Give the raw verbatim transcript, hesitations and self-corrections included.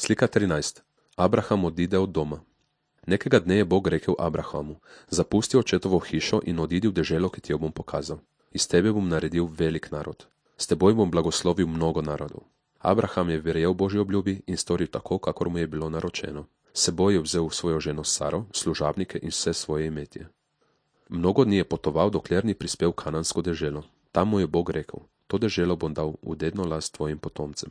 Slika trinajst. Abraham odide od doma. Nekega dne je Bog rekel Abrahamu: Zapusti očetovo hišo in odidi v deželo, ki ti jo bom pokazal. Iz tebe bom naredil velik narod. S teboj bom blagoslovil mnogo narodov. Abraham je verjel Božji obljubi in storil tako, kakor mu je bilo naročeno. S seboj je vzel svojo ženo Saro, služabnike in vse svoje imetje. Mnogo dni je potoval, dokler ni prispel v kanansko deželo. Tam mu je Bog rekel: To deželo bom dal v dedno last tvojim potomcem.